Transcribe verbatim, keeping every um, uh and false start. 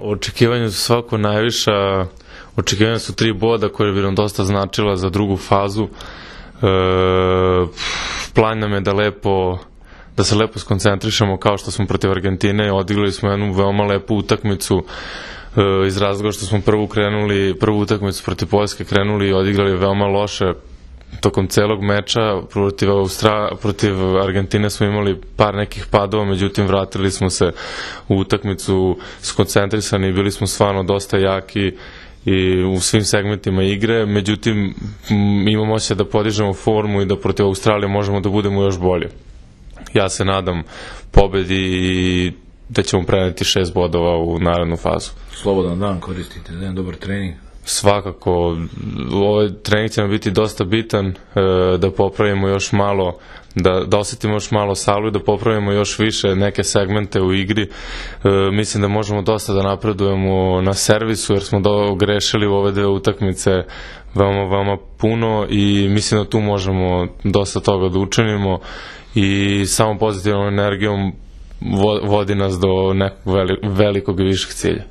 Očekivanja su svako najviša, očekivanja su tri boda koje bi nam dosta značila za drugu fazu. E, plan nam je da lepo, da se lepo skoncentrišemo kao što smo protiv Argentine, odigrali smo jednu veoma lepu utakmicu e, iz razloga što smo prvu krenuli, prvu utakmicu protiv Poljske krenuli i odigrali veoma loše. Tokom celog meča protiv, Austra... protiv Argentine smo imali par nekih padova, međutim vratili smo se u utakmicu skoncentrisani i bili smo stvarno dosta jaki i u svim segmentima igre, međutim imamo osjećaj da podižemo formu i da protiv Australije možemo da budemo još bolje. Ja se nadam pobedi i da ćemo preneti šest bodova u narednu fazu. Slobodan dan koristite, da jedan dobar trening. Svakako, ovaj trening će nam biti dosta bitan, e, da popravimo još malo, da, da osetimo još malo salu i da popravimo još više neke segmente u igri. E, mislim da možemo dosta da napredujemo na servisu, jer smo do, grešili u ove dve utakmice veoma, veoma puno i mislim da tu možemo dosta toga da učinimo i samo pozitivnom energijom vodi nas do nekog velikog i višeg cilja.